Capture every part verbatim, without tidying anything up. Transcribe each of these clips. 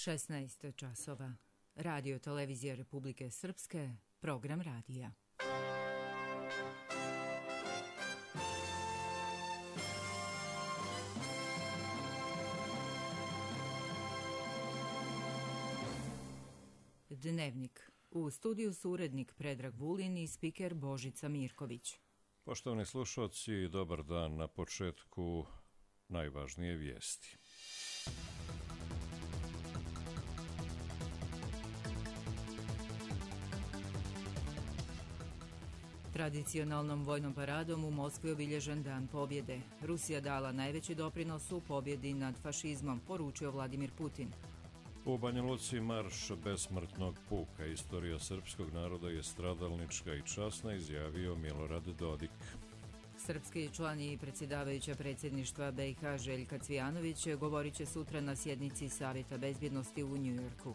šesnaest časova. Radio televizija Republike Srpske, program radija. Dnevnik. U studiju su urednik Predrag Vulin i spiker Božica Mirković. Poštovani slušalci, dobar dan. Na početku najvažnije vijesti. Tradicionalnom vojnom paradom u Moskvi obilježen Dan pobjede. Rusija dala najveći doprinos u pobjedi nad fašizmom, poručio Vladimir Putin. U Banja Luci marš besmrtnog puka. Istorija srpskog naroda je stradalnička i časna, izjavio Milorad Dodik. Srpski član i predsjedavajuća predsjedništva B i H Željka Cvijanović govorit će sutra na sjednici Savjeta bezbjednosti u Njujorku.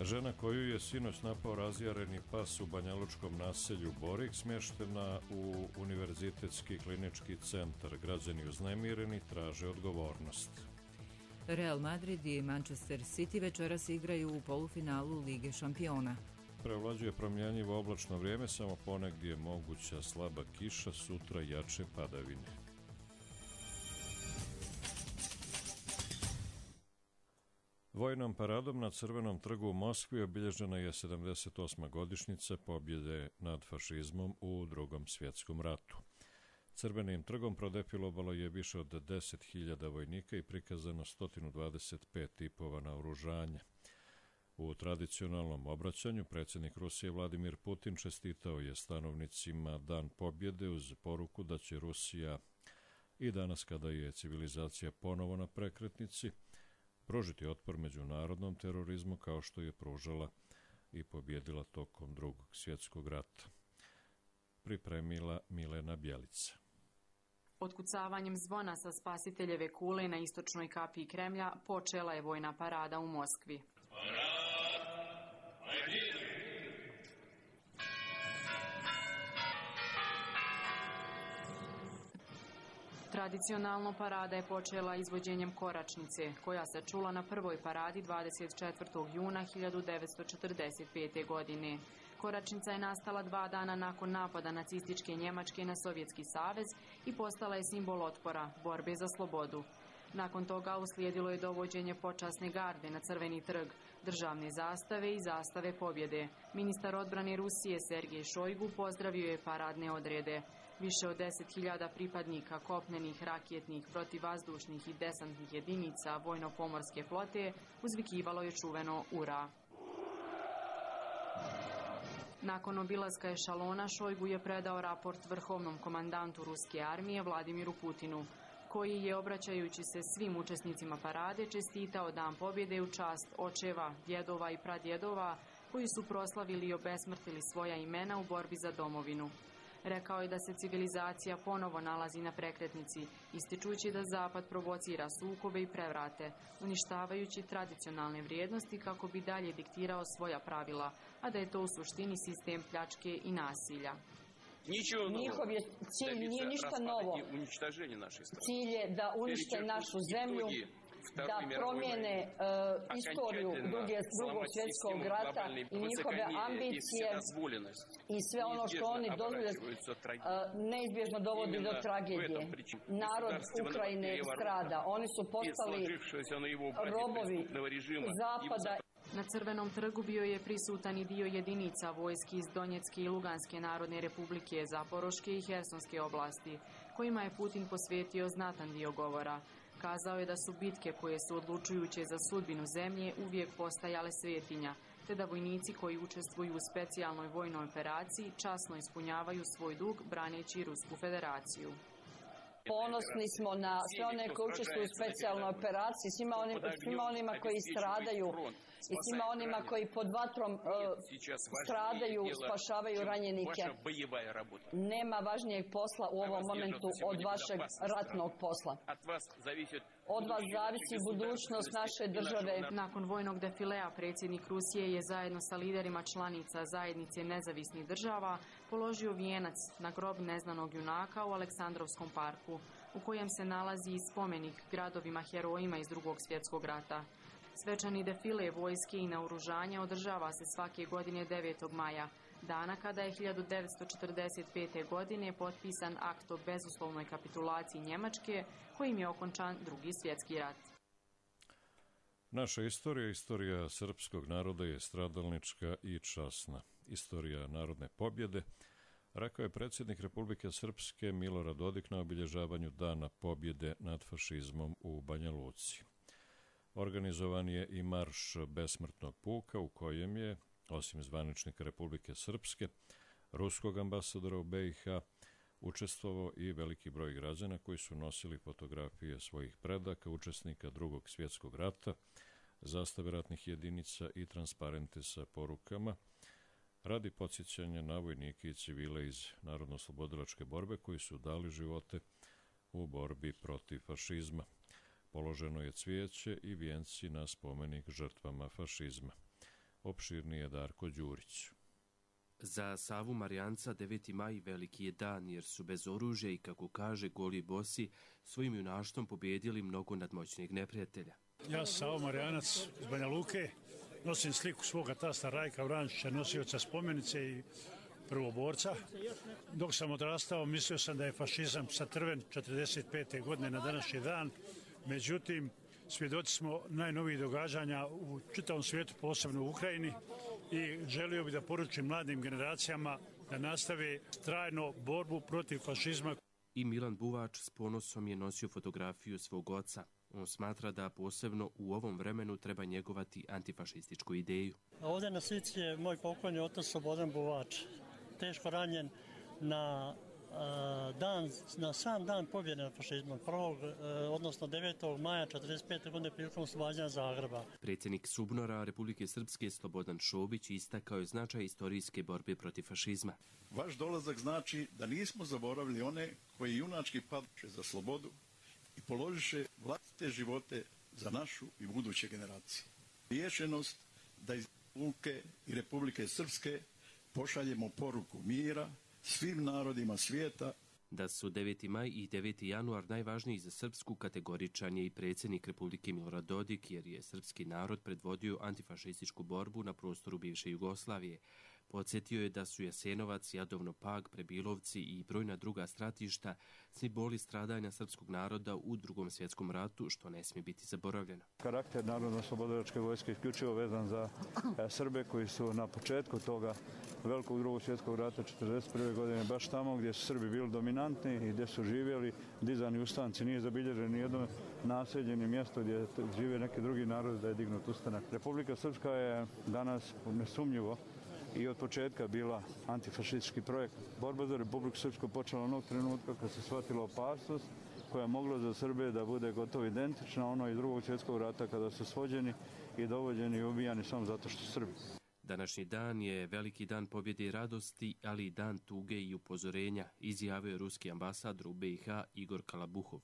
Žena koju je sinoć napao razjareni pas u banjalučkom naselju Borik smještena u Univerzitetski klinički centar. Građani uznemireni traže odgovornost. Real Madrid i Manchester City večeras igraju u polufinalu Lige šampiona. Prevlađuje promjenjivo oblačno vrijeme, samo ponegdje je moguća slaba kiša, sutra jače padavine. Vojnom paradom na Crvenom trgu u Moskvi obilježena je sedamdeset osma godišnjica pobjede nad fašizmom u Drugom svjetskom ratu. Crvenim trgom prodefilovalo je više od deset hiljada vojnika i prikazano sto dvadeset pet tipova naoružanja. U tradicionalnom obraćanju predsjednik Rusije Vladimir Putin čestitao je stanovnicima Dan pobjede uz poruku da će Rusija i danas, kada je civilizacija ponovo na prekretnici, pružiti otpor međunarodnom terorizmu kao što je pružala i pobjedila tokom Drugog svjetskog rata. Pripremila Milena Bjelica. Otkucavanjem zvona sa Spasiteljeve kule na istočnoj kapiji Kremlja počela je vojna parada u Moskvi. Tradicionalno parada je počela izvođenjem koračnice, koja se čula na prvoj paradi dvadeset četvrtog juna hiljadu devetsto četrdeset pete. godine. Koračnica je nastala dva dana nakon napada nacističke Njemačke na Sovjetski savez i postala je simbol otpora, borbe za slobodu. Nakon toga uslijedilo je dovođenje počasne garde na Crveni trg, državne zastave i zastave pobjede. Ministar odbrane Rusije Sergej Šojgu pozdravio je paradne odrede. Više od deset hiljada pripadnika kopnenih, raketnih, protivvazdušnih i desantnih jedinica vojno-pomorske flote uzvikivalo je čuveno Ura. Nakon obilaska ešalona Šojgu je predao raport vrhovnom komandantu ruske armije Vladimiru Putinu, koji je, obraćajući se svim učesnicima parade, čestitao Dan pobjede u čast očeva, djedova i pradjedova koji su proslavili i obesmrtili svoja imena u borbi za domovinu. Rekao je da se civilizacija ponovo nalazi na prekretnici, ističući da Zapad provocira sukobe i prevrate, uništavajući tradicionalne vrijednosti kako bi dalje diktirao svoja pravila, a da je to u suštini sistem pljačke i nasilja. Njihov je cilj nije ništa novo. Cilj je da unište našu zemlju, da promijene uh, istoriju druge, drugog svjetskog rata i njihove ambicije i sve ono što oni dozvole uh, neizbježno dovodi do tragedije. Narod Ukrajine strada. Oni su postali robovi Zapada. Na Crvenom trgu bio je prisutan i dio jedinica vojski iz Donjecke i Luganske narodne republike, Zaporoške i Hersonske oblasti, kojima je Putin posvetio znatan dio govora. Kazao je da su bitke koje su odlučujuće za sudbinu zemlje uvijek postajale svetinja, te da vojnici koji učestvuju u specijalnoj vojnoj operaciji časno ispunjavaju svoj dug braneći Rusku federaciju. Ponosni smo na sve one koji učestvuju u specijalnoj operaciji, svima, onim, svima onima koji stradaju i svima onima koji pod vatrom uh, stradaju, spašavaju ranjenike. Nema važnijeg posla u ovom momentu od vašeg ratnog posla. Od vas zavisi budućnost naše države. Nakon vojnog defilea predsjednik Rusije je zajedno sa liderima članica zajednice nezavisnih država položio vijenac na grob neznanog junaka u Aleksandrovskom parku, u kojem se nalazi i spomenik gradovima herojima iz Drugog svjetskog rata. Svečani defile vojske i naoružanja održava se svake godine devetog maja, dana kada je hiljadu devetsto četrdeset pete. godine potpisan akt o bezuslovnoj kapitulaciji Njemačke, kojim je okončan Drugi svjetski rat. Naša istorija, istorija srpskog naroda je stradalnička i časna. Istorija narodne pobjede, rekao je predsjednik Republike Srpske Milorad Dodik na obilježavanju Dana pobjede nad fašizmom u Banja Luci. Organizovan je i marš besmrtnog puka u kojem je, osim zvaničnika Republike Srpske, ruskog ambasadora u be i ha, učestvovao i veliki broj građana koji su nosili fotografije svojih predaka, učesnika Drugog svjetskog rata, zastave ratnih jedinica i transparente sa porukama, radi podsjećanja na vojnike i civile iz Narodno-oslobodilačke borbe koji su dali živote u borbi protiv fašizma. Položeno je cvijeće i vijenci na spomenik žrtvama fašizma. Opširniji je Darko Đurić. Za Savu Marijanca deveti maj veliki je dan jer su bez oružja i, kako kaže, goli bosi svojim junaštvom pobjedili mnogo nadmoćnijeg neprijatelja. Ja sam Savo Marijanac iz Banja Luke, nosim sliku svoga tasta Rajka Vrančića, nosioca spomenice i prvoborca. Dok sam odrastao, mislio sam da je fašizam satrven četrdeset pete. godine na današnji dan. Međutim, svjedoci smo najnovijih događanja u čitavom svijetu, posebno u Ukrajini, i želio bih da poručim mladim generacijama da nastave trajno borbu protiv fašizma. I Milan Buvač s ponosom je nosio fotografiju svog oca. On smatra da posebno u ovom vremenu treba njegovati antifašističku ideju. Ovdje na slici je moj pokojni otac Slobodan Buvač, teško ranjen na dan, na sam dan pobjede nad fašizmom, prvog, odnosno devetog maja četrdeset pete. godine prilikom oslobađanja Zagreba. Predsjednik SUBNOR-a Republike Srpske Slobodan Šobić istakao je značaj istorijske borbe protiv fašizma. Vaš dolazak znači da nismo zaboravili one koji junački padoše za slobodu i položiše vlastite živote za našu i buduće generacije. Rješenost da iz Luke i Republike Srpske pošaljemo poruku mira svim narodima svijeta. Da su deveti maj i deveti januar najvažniji za Srpsku kategoričan je i predsjednik Republike Milorad Dodik, jer je srpski narod predvodio antifašističku borbu na prostoru bivše Jugoslavije. Podsjetio je da su Jasenovac, Jadovno Pag, Prebilovci i brojna druga stratišta simboli stradanja srpskog naroda u Drugom svjetskom ratu, što ne smije biti zaboravljeno. Karakter Narodno-oslobodilačke vojske isključivo vezan za Srbe koji su na početku toga velikog Drugog svjetskog rata četrdeset prve. godine baš tamo gdje su Srbi bili dominantni i gdje su živjeli dizani ustanci. Nije zabilježeno ni jedno naseljeno mjesto gdje žive neki drugi narod da je dignut ustanak. Republika Srpska je danas nesumnjivo i od početka bila antifašistički projekt. Borba za Republiku Srpsku počela onog trenutka kad se shvatila opasnost koja je mogla za Srbe da bude gotovo identična ono iz Drugog svjetskog rata kada su svođeni i dovođeni i ubijani samo zato što su Srbi. Današnji dan je veliki dan pobjede i radosti, ali i dan tuge i upozorenja, izjavio je ruski ambasador u be i ha Igor Kalabuhov.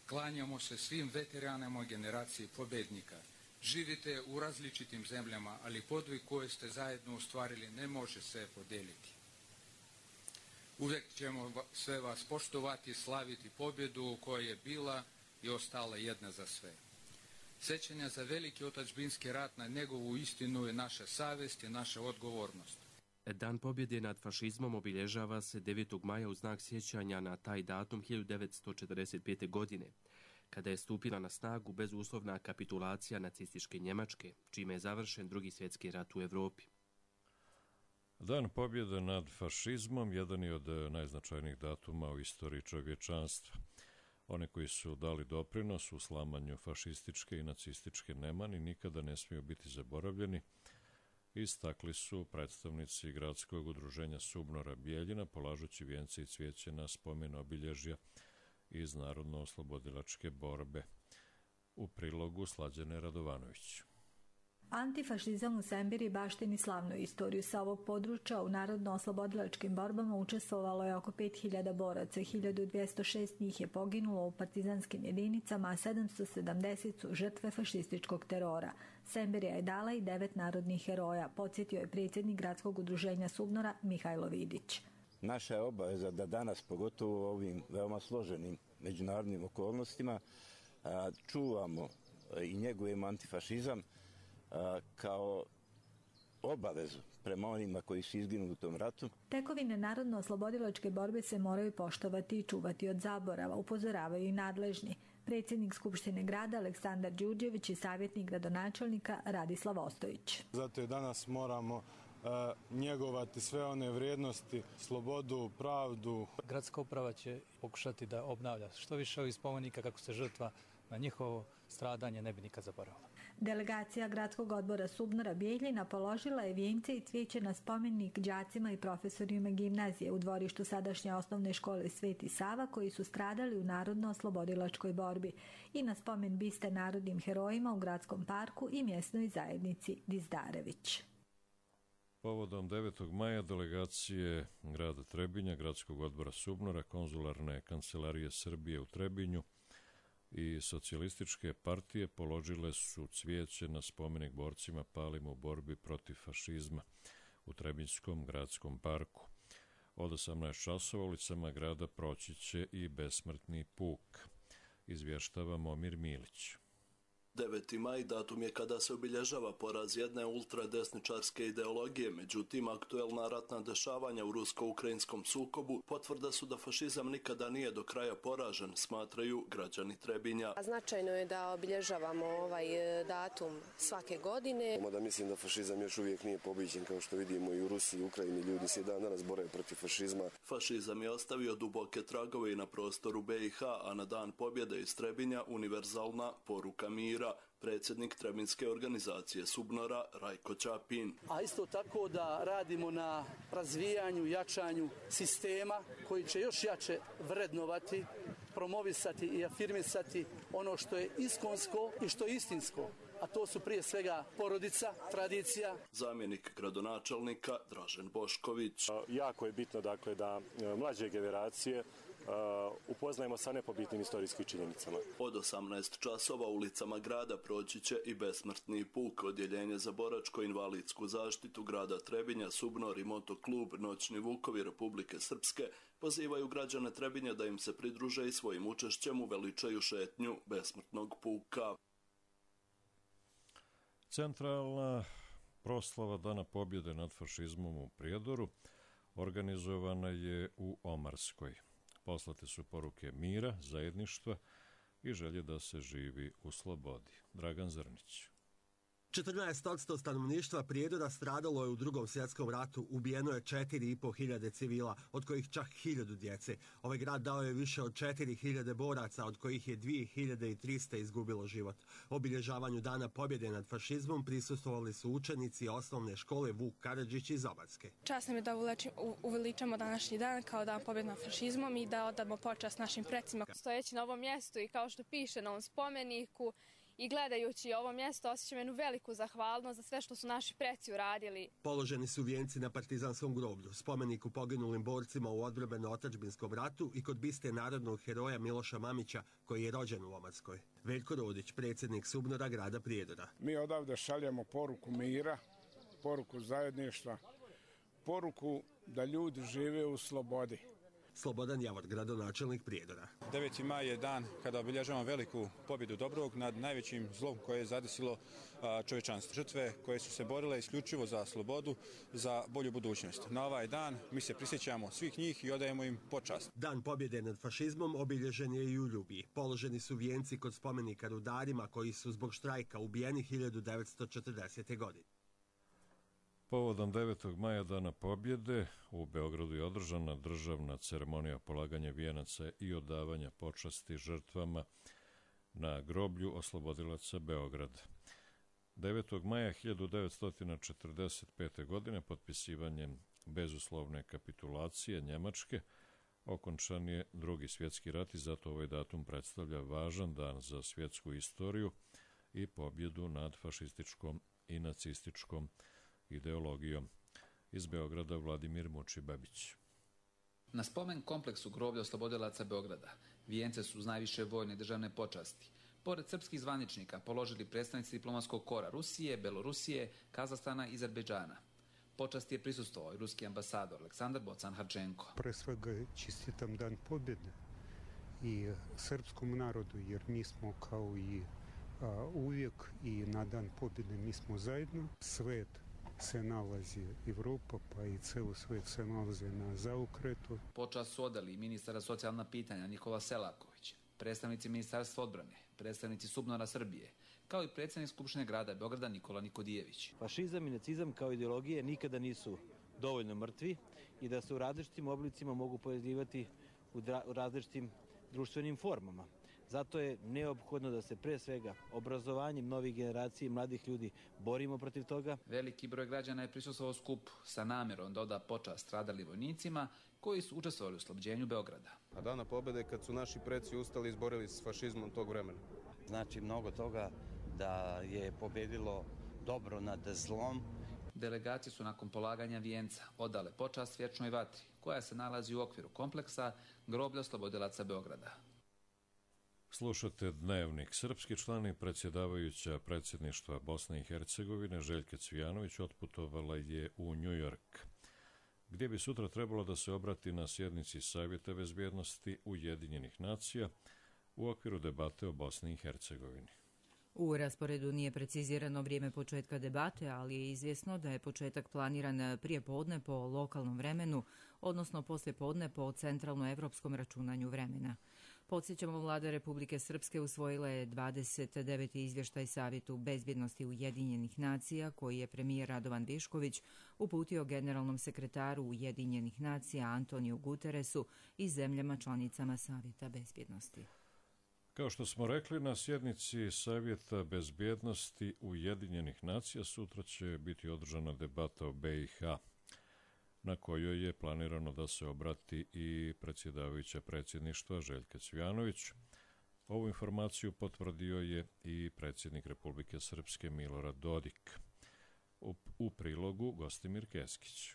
Klanjamo se svim veteranima generacije pobjednika. Živite u različitim zemljama, ali podvig koje ste zajedno ostvarili ne može se podijeliti. Uvijek ćemo sve vas poštovati, slaviti pobjedu koja je bila i ostala jedna za sve. Sjećanja za veliki otadžbinski rat na njegovu istinu je naša savjest i naša odgovornost. Dan pobjede nad fašizmom obilježava se devetog maja u znak sjećanja na taj datum hiljadu devetsto četrdeset pete. godine, kada je stupila na snagu bezuslovna kapitulacija nacističke Njemačke, čime je završen Drugi svjetski rat u Evropi. Dan pobjede nad fašizmom jedan je od najznačajnijih datuma u istoriji čovječanstva. One koji su dali doprinos u slamanju fašističke i nacističke nemani nikada ne smiju biti zaboravljeni, istakli su predstavnici gradskog udruženja SUBNOR-a Bijeljina, polažući vijence i cvijeće na spomen obilježja iz Narodno-oslobodilačke borbe. U prilogu Slađane Radovanović. Antifašizam u Sembiri baštini slavnu istoriju. Sa ovog područja u narodno-oslobodilačkim borbama učestvovalo je oko pet hiljada boraca. hiljadu dvjesto šest njih je poginulo u partizanskim jedinicama, a sedamsto sedamdeset su žrtve fašističkog terora. Sembirija je dala i devet narodnih heroja, podsjetio je predsjednik gradskog udruženja SUBNOR-a Mihajlo Vidić. Naša je obaveza da danas, pogotovo u ovim veoma složenim međunarodnim okolnostima, čuvamo i njegujemo antifašizam kao obavezu prema onima koji su izginuli u tom ratu. Tekovine narodno-oslobodilačke borbe se moraju poštovati i čuvati od zaborava, upozoravaju i nadležni. Predsjednik Skupštine grada Aleksandar Đurđević i savjetnik gradonačelnika Radislav Ostojić. Zato je danas moramo uh, njegovati sve one vrijednosti, slobodu, pravdu. Gradska uprava će pokušati da obnavlja što više ovih spomenika kako se žrtva na njihovo stradanje ne bi nikad zaboravila. Delegacija Gradskog odbora Subnora Bijeljina položila je vijence i cvijeće na spomenik đacima i profesorima gimnazije u dvorištu sadašnje osnovne škole Sveti Sava koji su stradali u narodno-oslobodilačkoj borbi i na spomen biste narodnim herojima u Gradskom parku i mjesnoj zajednici Dizdarević. Povodom devetog maja delegacije grada Trebinja, Gradskog odbora Subnora, konzularne kancelarije Srbije u Trebinju i socijalističke partije položile su cvijeće na spomenik borcima palim u borbi protiv fašizma u Trebinjskom gradskom parku. Od osamnaest časova ulicama grada proći će i besmrtni puk, izvještava Momir Milić. deveti maj datum je kada se obilježava poraz jedne ultradesničarske ideologije, međutim aktuelna ratna dešavanja u rusko-ukrajinskom sukobu potvrda su da fašizam nikada nije do kraja poražen, smatraju građani Trebinja. Značajno je da obilježavamo ovaj datum svake godine. Da mislim da fašizam još uvijek nije pobijeđen, kao što vidimo i u Rusiji i Ukrajini ljudi se i dan danas bore protiv fašizma. Fašizam je ostavio duboke tragove i na prostoru be i ha, a na dan pobjede iz Trebinja univerzalna poruka mira. Predsjednik Trebinjske organizacije Subnora Rajko Ćapin. A isto tako da radimo na razvijanju, jačanju sistema koji će još jače vrednovati, promovisati i afirmisati ono što je iskonsko i što je istinsko. A to su prije svega porodica, tradicija. Zamjenik gradonačelnika Dražen Bošković. Jako je bitno dakle da mlađe generacije Uh, upoznajemo sa nepobitnim istorijskim činjenicama. Od osamnaest časova ulicama grada proći će i besmrtni puk. Odjeljenje za boračko-invalidsku zaštitu grada Trebinja, Subnor i motoklub Noćni Vukovi Republike Srpske pozivaju građane Trebinja da im se pridruže i svojim učešćem uveličaju šetnju besmrtnog puka. Centralna proslava Dana pobjede nad fašizmom u Prijedoru organizovana je u Omarskoj. Poslate su poruke mira, zajedništva i želje da se živi u slobodi. Dragan Zrnić. četrnaest posto stanovništva Prijedora stradalo je u Drugom svjetskom ratu, ubijeno je četiri i po hiljade civila, od kojih čak hiljadu djece. Ovaj grad dao je više od četiri hiljade boraca, od kojih je dvije hiljade tristo izgubilo život. Obilježavanju Dana pobjede nad fašizmom prisustvovali su učenici osnovne škole Vuk Karadžić iz Omarske. Čast nam je da uveličamo današnji dan kao dan pobjede nad fašizmom i da odamo počast našim precima. Stojeći na ovom mjestu i kao što piše na ovom spomeniku, i gledajući ovo mjesto osjećam jednu veliku zahvalnost za sve što su naši preci uradili. Položeni su vijenci na Partizanskom groblju, spomeniku poginulim borcima u odbrambeno-otadžbinskom ratu i kod biste narodnog heroja Miloša Mamića koji je rođen u Omarskoj. Veljko Rodić, predsjednik Subnora grada Prijedora. Mi odavde šaljemo poruku mira, poruku zajedništva, poruku da ljudi žive u slobodi. Slobodan Javor, gradonačelnik Prijedora. deveti maj je dan kada obilježavamo veliku pobjedu dobrog nad najvećim zlom koje je zadesilo čovječanstvo. Žrtve koje su se borile isključivo za slobodu, za bolju budućnost. Na ovaj dan mi se prisjećamo svih njih i odajemo im počast. Dan pobjede nad fašizmom obilježen je i u Ljubiji. Položeni su vijenci kod spomenika rudarima koji su zbog štrajka ubijeni hiljadu devetsto četrdesete. godine. Povodom devetog maja Dana pobjede u Beogradu je održana državna ceremonija polaganja vijenaca i odavanja počasti žrtvama na groblju oslobodilaca Beograda. devetog maja hiljadu devetsto četrdeset pete. godine potpisivanjem bezuslovne kapitulacije Njemačke okončan je Drugi svjetski rat i zato ovaj datum predstavlja važan dan za svjetsku istoriju i pobjedu nad fašističkom i nacističkom ideologijom. Iz Beograda Vladimir Muči-Babić. Na spomen kompleksu groblja oslobodilaca Beograda vijence su uz najviše vojne i državne počasti. Pored srpskih zvaničnika položili predstavnici diplomatskog kora Rusije, Belorusije, Kazahstana i Azerbejdžana. Počasti je prisustvovao i ruski ambasador Aleksandar Bocan-Harčenko. Pre svega čestitam Dan pobjede i srpskom narodu, jer mi smo kao i a, uvijek i na dan pobjede mi smo zajedno. Svet se nalazi, Evropa pa i ceo svet se nalazi na zaokretu. Počast su odali ministara socijalna pitanja Nikola Selaković, predstavnici Ministarstva odbrane, predstavnici Subnora Srbije, kao i predsjednik Skupštine grada Beograda Nikola Nikodijević. Fašizam i nacizam kao ideologije nikada nisu dovoljno mrtvi i da se u različitim oblicima mogu pojavljivati u različitim društvenim formama. Zato je neophodno da se pre svega obrazovanjem novih generacija i mladih ljudi borimo protiv toga. Veliki broj građana je prisustvovao skupu sa namjerom da oda počast stradalim vojnicima koji su učestvovali u oslobođenju Beograda. A dana pobjede kad su naši preci ustali i izborili s fašizmom tog vremena. Znači mnogo toga da je pobjedilo dobro nad zlom. Delegacije su nakon polaganja vijenca odale počast vječnoj vatri koja se nalazi u okviru kompleksa groblja oslobodilaca Beograda. Slušate Dnevnik. Srpski član i predsjedavajuća predsjedništva Bosne i Hercegovine Željka Cvijanović otputovala je u New York, gdje bi sutra trebalo da se obrati na sjednici Savjeta bezbjednosti Ujedinjenih nacija u okviru debate o Bosni i Hercegovini. U rasporedu nije precizirano vrijeme početka debate, ali je izvjesno da je početak planiran prije podne po lokalnom vremenu, odnosno poslije podne po centralno-evropskom računanju vremena. Podsjećamo, vlada Republike Srpske usvojila je dvadeset deveti izvještaj Savjetu bezbjednosti Ujedinjenih nacija, koji je premijer Radovan Višković uputio generalnom sekretaru Ujedinjenih nacija Antoniju Guteresu i zemljama članicama Savjeta bezbjednosti. Kao što smo rekli, na sjednici Savjeta bezbjednosti Ujedinjenih nacija sutra će biti održana debata o B i H, na kojoj je planirano da se obrati i predsjedavajuća predsjedništva Željka Cvijanović. Ovu informaciju potvrdio je i predsjednik Republike Srpske Milorad Dodik. U, u prilogu Gostimir Keskić.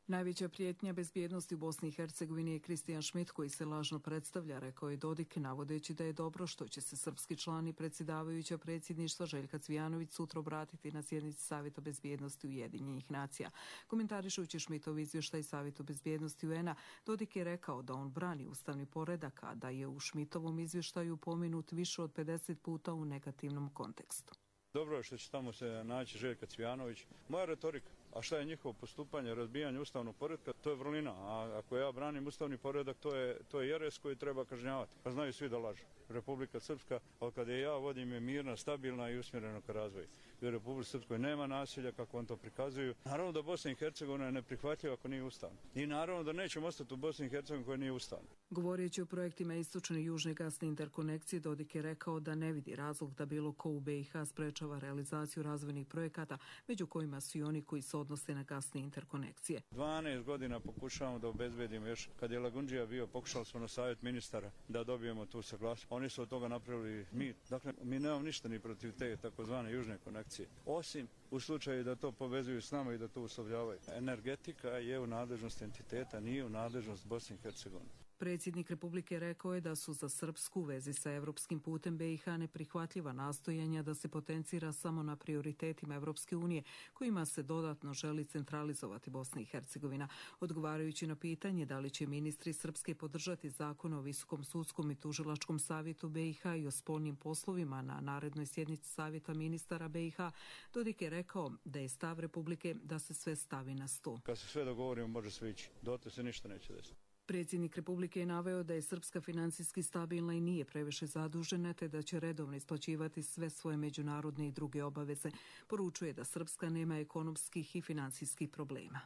Najveća prijetnja bezbjednosti u Bosni i Hercegovini je Kristijan Šmit, koji se lažno predstavlja, rekao je Dodik, navodeći da je dobro što će se srpski član i predsjedavajuća predsjedništva Željka Cvijanović sutra obratiti na sjednici Savjeta bezbjednosti Ujedinjenih nacija. Komentarišujući Šmitov izvještaj Savjetu bezbjednosti U N a, Dodik je rekao da on brani ustavni poredak, a da je u Šmitovom izvještaju pomenut više od pedeset puta u negativnom kontekstu. Dobro je što će tamo se naći Željka Cvijanović. Moja retorika, a šta je njihovo postupanje, razbijanje ustavnog poretka, to je vrlina. A ako ja branim ustavni poredak, to je, to je jeres koji treba kažnjavati. Pa znaju svi da lažu. Republika Srpska, ali kada je ja vodim, je mirna, stabilna i usmjerena ka razvoju. I u Republici Srpskoj nema nasilja, kako on to prikazuju. Naravno da Bosna i Hercegovina je neprihvatljiva ako nije ustavna. I naravno da nećemo ostati u Bosni i Hercegovini koja nije ustavna. Govoreći o projektima istočne i južne gasne interkonekcije, Dodik je rekao da ne vidi razlog da bilo ko u B i H sprečava realizaciju razvojnih projekata, među kojima su i oni koji se odnose na gasne interkonekcije. dvanaest godina pokušavamo da obezbedimo još. Kad je Lagundžija bio, pokušali smo na savjet ministara da dobijemo tu saglasnost. Oni su od toga napravili mir. Dakle, mi nemamo ništa ni protiv te takozvane južne konekcije. Osim u slučaju da to povezuju s nama i da to uslovljavaju. Energetika je u nadležnosti entiteta, nije u nadležnost Bosne i Hercegovine. Predsjednik Republike rekao je da su za Srpsku u vezi sa evropskim putem B i H neprihvatljiva nastojanja da se potencira samo na prioritetima Evropske unije, kojima se dodatno želi centralizovati Bosna i Hercegovina. Odgovarajući na pitanje da li će ministri Srpske podržati zakon o Visokom sudskom i tužilačkom savjetu B i H i o spoljnim poslovima na narednoj sjednici Savjeta ministara B i H, Dodik je rekao da je stav Republike da se sve stavi na sto. Kad se sve dogovorimo, može sve ići. Dotle se ništa neće desiti. Predsjednik Republike je naveo da je Srpska financijski stabilna i nije previše zadužena, te da će redovno isplaćivati sve svoje međunarodne i druge obaveze. Poručuje da Srpska nema ekonomskih i financijskih problema.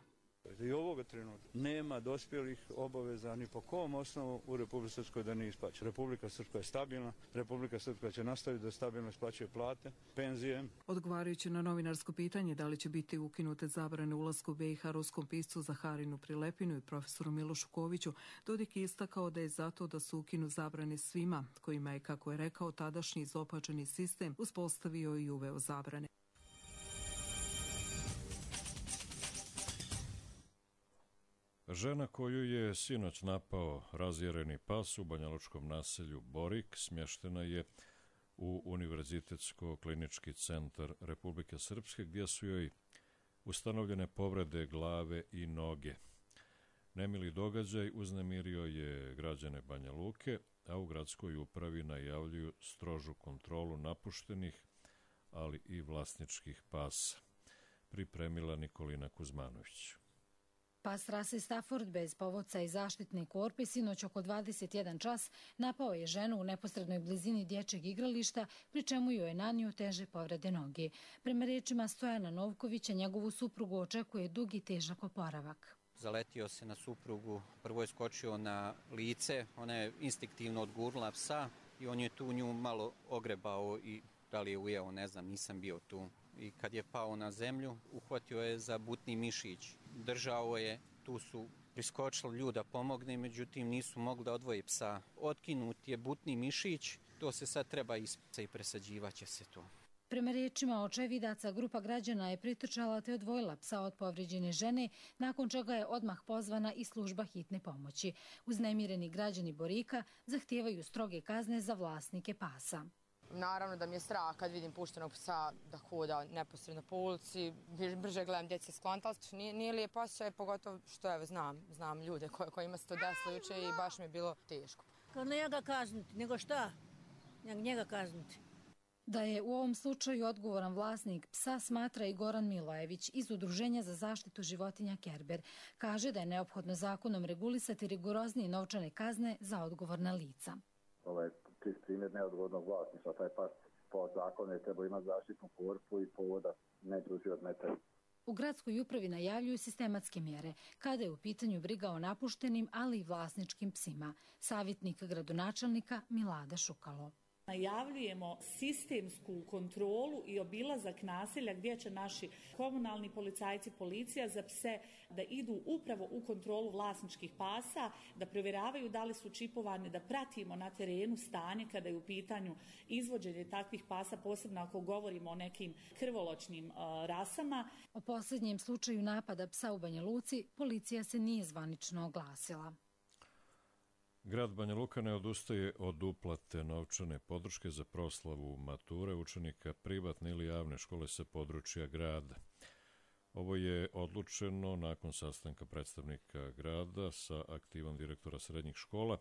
I ovoga trenutka nema dospjelih obaveza ni po kom osnovu u Republike Srpskoj da nije isplaća. Republika Srpska je stabilna, Republika Srpska će nastaviti da stabilno isplaćuje plate, penzije. Odgovarajući na novinarsko pitanje da li će biti ukinute zabrane ulasku u B i H ruskom piscu Zaharinu Prilepinu i profesoru Milošu Koviću, Dodik je istakao da je zato da su ukinu zabrane svima, kojima je, kako je rekao, tadašnji izopačeni sistem uspostavio i uveo zabrane. Žena koju je sinoć napao razjereni pas u banjalučkom naselju Borik smještena je u Univerzitetsko-klinički centar Republike Srpske, gdje su joj ustanovljene povrede glave i noge. Nemili događaj uznemirio je građane Banja Luke, a u gradskoj upravi najavljuju strožu kontrolu napuštenih, ali i vlasničkih pasa. Pripremila Nikolina Kuzmanović. Pas rase Stafford bez povodca i zaštitne korpe sinoć oko dvadeset jedan čas napao je ženu u neposrednoj blizini dječjeg igrališta, pri čemu joj je nanio teže povrede noge. Prema rečima Stojana Novkovića, njegovu suprugu očekuje dug i težak oporavak. Zaletio se na suprugu, prvo je skočio na lice, ona je instinktivno odgurnula psa i on je tu nju malo ogrebao i da li je ujeo, ne znam, nisam bio tu. I kad je pao na zemlju, uhvatio je za butni mišić. Držao je, tu su priskočili ljudi da pomogne, međutim nisu mogli da odvoje psa. Otkinut je butni mišić, to se sad treba ispisati i presađivaće se to. Prema rečima očevidaca, grupa građana je pritrčala te odvojila psa od povrijeđene žene, nakon čega je odmah pozvana i služba hitne pomoći. Uznemireni građani Borika zahtijevaju stroge kazne za vlasnike pasa. Naravno da mi je strah kad vidim puštenog psa da hoda neposredno po ulici, brže gledam djece skontali, nije, nije lijep osjećaj, pogotovo što evo, znam, znam ljude koje, kojima se to desilo juče i baš mi je bilo teško. Kad ne njega kazniti, nego šta? Njega kazniti. Da je u ovom slučaju odgovoran vlasnik psa smatra i Goran Milojević iz Udruženja za zaštitu životinja Kerber. Kaže da je neophodno zakonom regulisati rigoroznije novčane kazne za odgovorna lica. Ovaj čist primjer neodgovornog vlasništva, taj pas po zakonu je trebao imati zaštitnu korpu i povoda neće uživati metar. U gradskoj upravi najavljuju sistematske mjere kada je u pitanju briga o napuštenim, ali i vlasničkim psima. Savjetnik gradonačelnika Milada Šukalo. Najavljujemo sistemsku kontrolu i obilazak naselja gdje će naši komunalni policajci, policija za pse da idu upravo u kontrolu vlasničkih pasa, da provjeravaju da li su čipovani, da pratimo na terenu stanje kada je u pitanju izvođenje takvih pasa, posebno ako govorimo o nekim krvoločnim uh, rasama. O posljednjem slučaju napada psa u Banja Luci policija se nije zvanično oglasila. Grad Banja Luka ne odustaje od uplate novčane podrške za proslavu mature učenika privatne ili javne škole sa područja grada. Ovo je odlučeno nakon sastanka predstavnika grada sa aktivom direktora srednjih škola,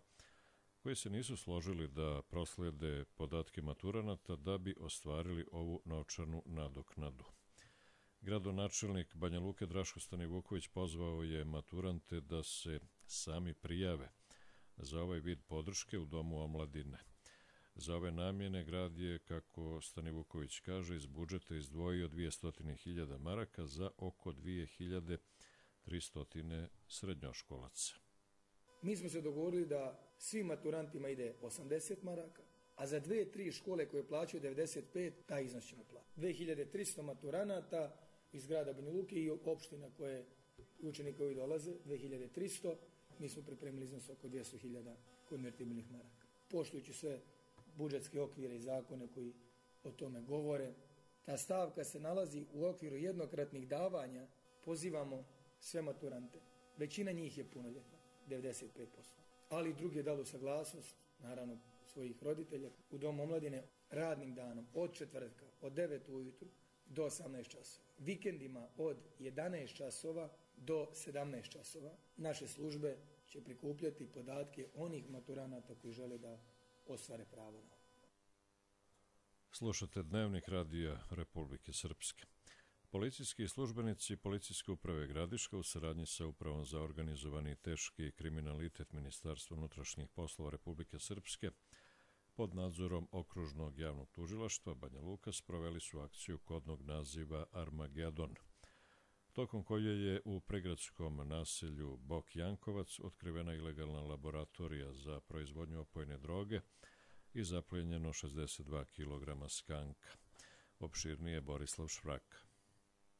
koji se nisu složili da proslede podatke maturanata da bi ostvarili ovu novčanu nadoknadu. Gradonačelnik Banja Luke Draško Stanivuković pozvao je maturante da se sami prijave za ovaj vid podrške u Domu omladine. Za ove namjene grad je, kako Stanivuković kaže, iz budžeta izdvojio dvjesto hiljada maraka za oko dvije hiljade tristo srednjoškolaca. Mi smo se dogovorili da svim maturantima ide osamdeset maraka, a za dve, tri škole koje plaćaju devedeset pet, taj iznos ćemo platiti. dvije hiljade tristo maturanata iz grada Banja Luke i opština koje učenika koji dolaze, dvije hiljade tristo, mi smo pripremili iznos oko dvjesto hiljada konvertibilnih maraka. Poštujući sve budžetske okvire i zakone koji o tome govore, ta stavka se nalazi u okviru jednokratnih davanja. Pozivamo sve maturante. Većina njih je punoljetna, devedeset pet posto. Ali i drugi je dalo saglasnost, naravno svojih roditelja, u Domu omladine radnim danom od četvrtka, od devet ujutru do osamnaest časova. Vikendima od jedanaest časova do sedamnaest časova. Naše službe će prikupljati podatke onih maturanata koji žele da ostvare pravo na ovo. Slušate Dnevnik radija Republike Srpske. Policijski službenici Policijske uprave Gradiška u saradnji sa Upravom za organizovani teški kriminalitet Ministarstva unutrašnjih poslova Republike Srpske pod nadzorom Okružnog javnog tužilaštva Banja Luka sproveli su akciju kodnog naziva Armagedon, tokom koje je u pregradskom naselju Bok Jankovac otkrivena ilegalna laboratorija za proizvodnju opojne droge i zaplijenjeno šezdeset dva kilograma skanka. Opširnije Borislav Švraka.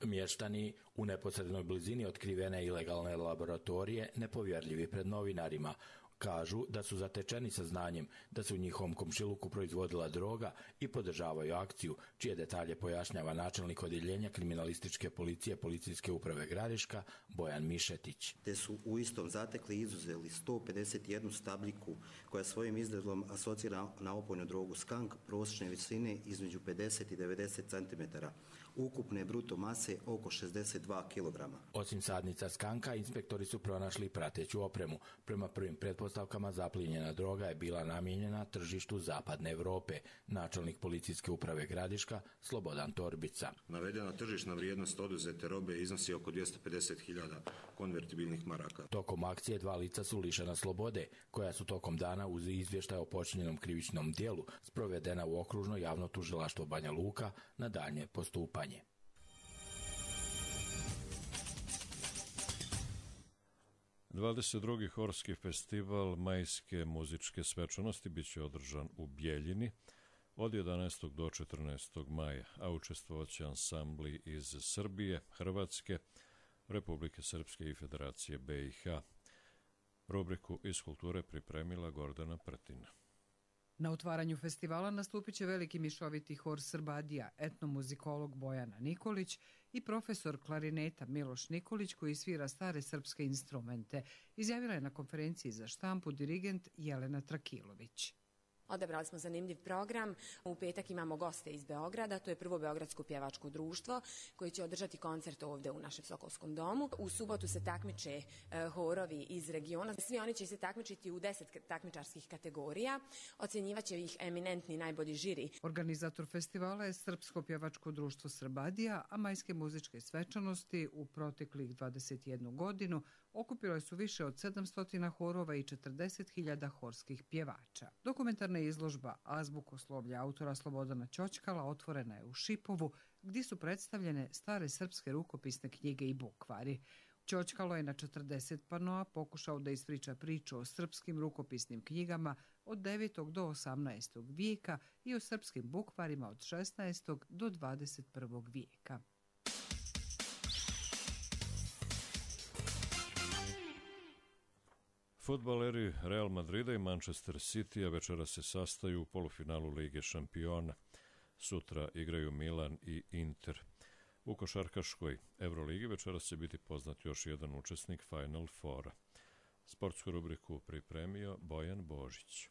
Mještani u neposrednoj blizini otkrivene ilegalne laboratorije nepovjerljivi pred novinarima. Kažu da su zatečeni sa znanjem da se u njihovom komšiluku proizvodila droga i podržavaju akciju, čije detalje pojašnjava načelnik odjeljenja kriminalističke policije Policijske uprave Gradiška Bojan Mišetić. Te su u istom zatekli i izuzeli sto pedeset jednu stabljiku koja svojim izgledom asocira na opojnu drogu skank prosječne visine između pedeset i devedeset centimetara. ukupne bruto mase oko šezdeset dva kilograma. Osim sadnica skanka, inspektori su pronašli prateću opremu. Prema prvim pretpostavkama zaplinjena droga je bila namijenjena tržištu zapadne Evrope. Načelnik policijske uprave Gradiška Slobodan Torbica. Navedena tržišna vrijednost oduzete robe iznosi oko dvjesto pedeset hiljada konvertibilnih maraka. Tokom akcije dva lica su lišena slobode, koja su tokom dana uz izvještaj o počinjenom krivičnom dijelu sprovedena u okružno javno tužilaštvo Banja Luka na daljnje postupanje. dvadeset drugi Horski festival majske muzičke svečanosti biće održan u Bjeljini od jedanaestog do četrnaestog maja, a učestvovaće ansambli iz Srbije, Hrvatske, Republike Srpske i Federacije B i H. Rubriku iz kulture pripremila Gordana Prtina. Na otvaranju festivala nastupit će veliki mišoviti hor Srbadija, etnomuzikolog Bojana Nikolić i profesor klarineta Miloš Nikolić koji svira stare srpske instrumente, izjavila je na konferenciji za štampu dirigent Jelena Trakilović. Odabrali smo zanimljiv program. U petak imamo goste iz Beograda, to je prvo Beogradsko pjevačko društvo koji će održati koncert ovdje u našem Sokolskom domu. U subotu se takmiče e, horovi iz regiona. Svi oni će se takmičiti u deset takmičarskih kategorija. Ocjenjivaće ih eminentni najbolji žiri. Organizator festivala je Srpsko pjevačko društvo Srbadija, a majske muzičke svečanosti u proteklih dvadeset jednu godinu okupilo su više od sedamsto horova i četrdeset hiljada horskih pjevača. Dokumentarna izložba azbukoslovlja autora Slobodana Ćoćkala otvorena je u Šipovu, gdje su predstavljene stare srpske rukopisne knjige i bukvari. Ćoćkalo je na četrdeset panoa pokušao da ispriča priču o srpskim rukopisnim knjigama od devetog do osamnaestog vijeka i o srpskim bukvarima od šesnaestog do dvadeset prvog vijeka. Fudbaleri Real Madrida i Manchester City večera se sastaju u polufinalu Lige šampiona. Sutra igraju Milan i Inter. U košarkaškoj Euroligi večera će biti poznat još jedan učesnik Final Fora. Sportsku rubriku pripremio Bojan Božić.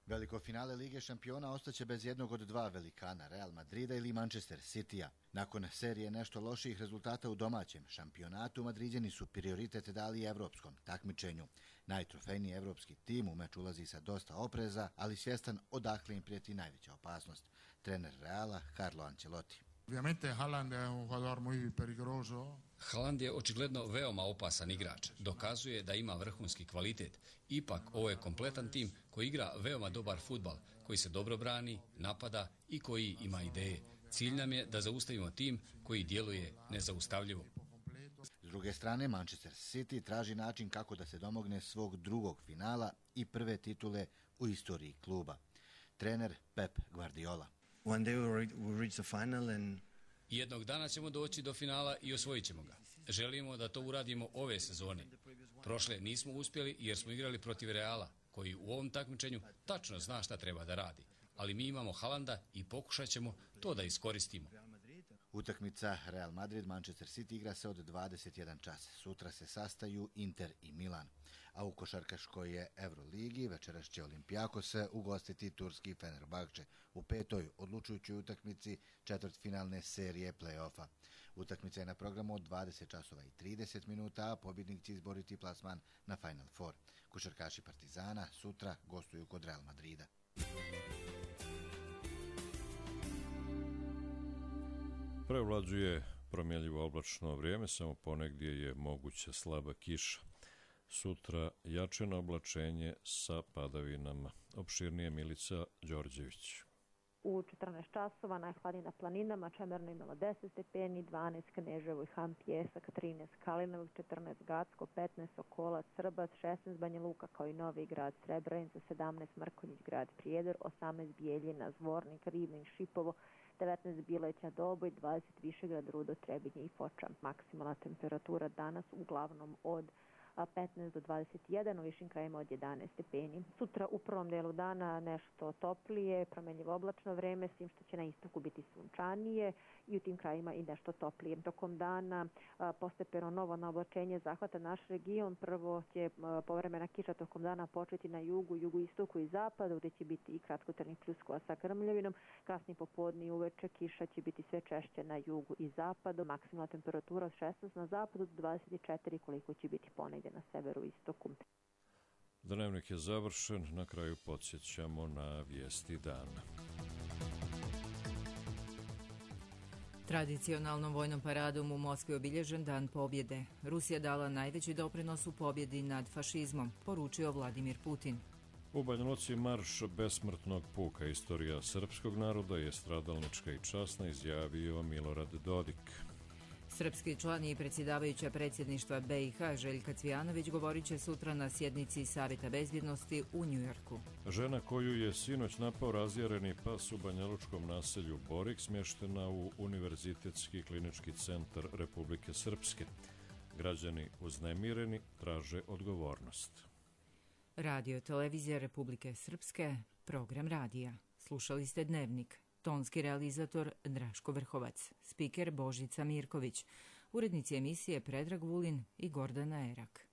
Veliko finale Lige šampiona ostaće bez jednog od dva velikana, Real Madrida ili Manchester Citya. Nakon serije nešto loših rezultata u domaćem šampionatu, Madriđani su prioritet dali evropskom takmičenju. Najtrofejniji evropski tim u meč ulazi sa dosta opreza, ali svjestan odakle im prijeti najveća opasnost. Trener Reala Carlo Ancelotti. Ovviamente Haaland è un jugador muy peligroso. Haaland je očigledno veoma opasan igrač. Dokazuje da ima vrhunski kvalitet. Ipak, ovo je kompletan tim koji igra veoma dobar fudbal, koji se dobro brani, napada i koji ima ideje. Cilj nam je da zaustavimo tim koji djeluje nezaustavljivo. S druge strane, Manchester City traži način kako da se domogne svog drugog finala i prve titule u istoriji kluba. Trener Pep Guardiola. One day we'll reach the final and... Jednog dana ćemo doći do finala i osvojit ćemo ga. Želimo da to uradimo ove sezone. Prošle nismo uspjeli jer smo igrali protiv Reala, koji u ovom takmičenju tačno zna šta treba da radi. Ali mi imamo Haalanda i pokušat ćemo to da iskoristimo. Utakmica Real Madrid-Manchester City igra se od dvadeset jedan čas. Sutra se sastaju Inter i Milan. A u košarkaškoj je Euroligi večeras će Olympiakos ugostiti turski Fenerbahče u petoj odlučujućoj utakmici četvrtfinalne serije play-offa. Utakmica je na programu od dvadeset časova i trideset minuta, a pobjednik će izboriti plasman na Final Four. Košarkaši Partizana sutra gostuju kod Real Madrida. Prevlađuje promjenljivo oblačno vrijeme, samo ponegdje je moguća slaba kiša. Sutra jačeno oblačenje sa padavinama. Opširnije Milica Đorđević. U četrnaest časova najhladnije na planinama, Čemerno imalo deset stepeni, dvanaest Kneževo i Ham Pjesak, trinaest Kalinovac, četrnaest Gacko, petnaest Sokolac, Srbac, šesnaest Banja Luka kao i Novi Grad, Srebrenica, sedamnaest Mrkonjić Grad, Prijedor, osamnaest Bijeljina, Zvornik, Rivnin, Šipovo, devetnaest Bileća, Doboj, dvadeset Višegrad, Rudo, Trebinje i Foča. Maksimalna temperatura danas uglavnom od petnaest do dvadeset jedan, u višim krajima od jedanaest stepeni. Sutra u prvom delu dana nešto toplije, promenljivo oblačno vreme, s tim što će na istoku biti sunčanije i u tim krajima i nešto toplije. Tokom dana postepeno novo naoblačenje zahvata naš region. Prvo će povremena kiša tokom dana početi na jugu, jugoistoku i zapadu, gdje će biti i kratkotrajnih pljuskova sa grmljavinom. Kasnije popodne i uveče kiša će biti sve češće na jugu i zapadu. Maksimalna temperatura od šesnaest na zapadu do dvadeset četiri, koliko će biti ponegdje na severu i istoku. Dnevnik je završen, na kraju podsjećamo na vijesti dana. Tradicionalnom vojnom paradom u Moskvi obilježen Dan pobjede. Rusija dala najveći doprinos u pobjedi nad fašizmom, poručio Vladimir Putin. U Banja Luci marš besmrtnog puka, istorija srpskog naroda je stradalnička i časna, izjavio Milorad Dodik. Srpski član i predsjedavajuća predsjedništva B i H Željka Cvijanović govorit će sutra na sjednici Savjeta bezbjednosti u Njujorku. Žena koju je sinoć napao razjareni pas u banjalučkom naselju Borik smještena u Univerzitetski klinički centar Republike Srpske. Građani uznemireni traže odgovornost. Radio televizija Republike Srpske, program radija. Slušali ste Dnevnik. Tonski realizator Draško Vrhovac, spiker Božica Mirković, urednici emisije Predrag Vulin i Gordana Erak.